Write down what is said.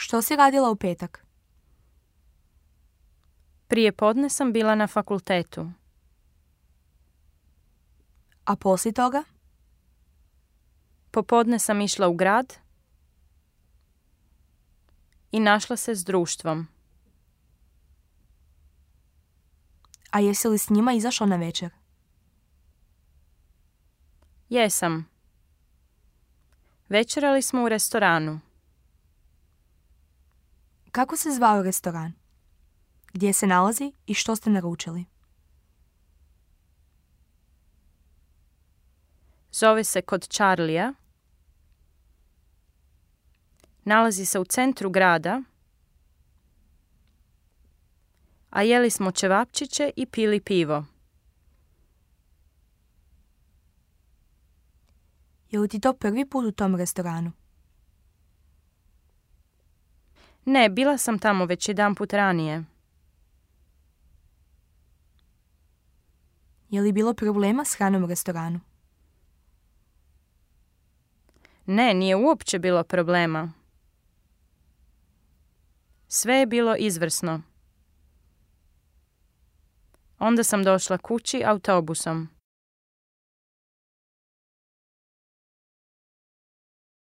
Što si radila u petak? Prije podne sam bila na fakultetu. A poslije toga? Popodne sam išla u grad i našla se s društvom. A jesi li s njima izašla na večer? Jesam. Večerali smo u restoranu. Kako se zvao restoran? Gdje se nalazi i što ste naručili? Zove se Kod Charlija. Nalazi se u centru grada, a jeli smo ćevapčiće i pili pivo. Je li ti to prvi put u tom restoranu? Ne, bila sam tamo već jedanput ranije. Je li bilo problema s hranom u restoranu? Ne, nije uopće bilo problema. Sve je bilo izvrsno. Onda sam došla kući autobusom.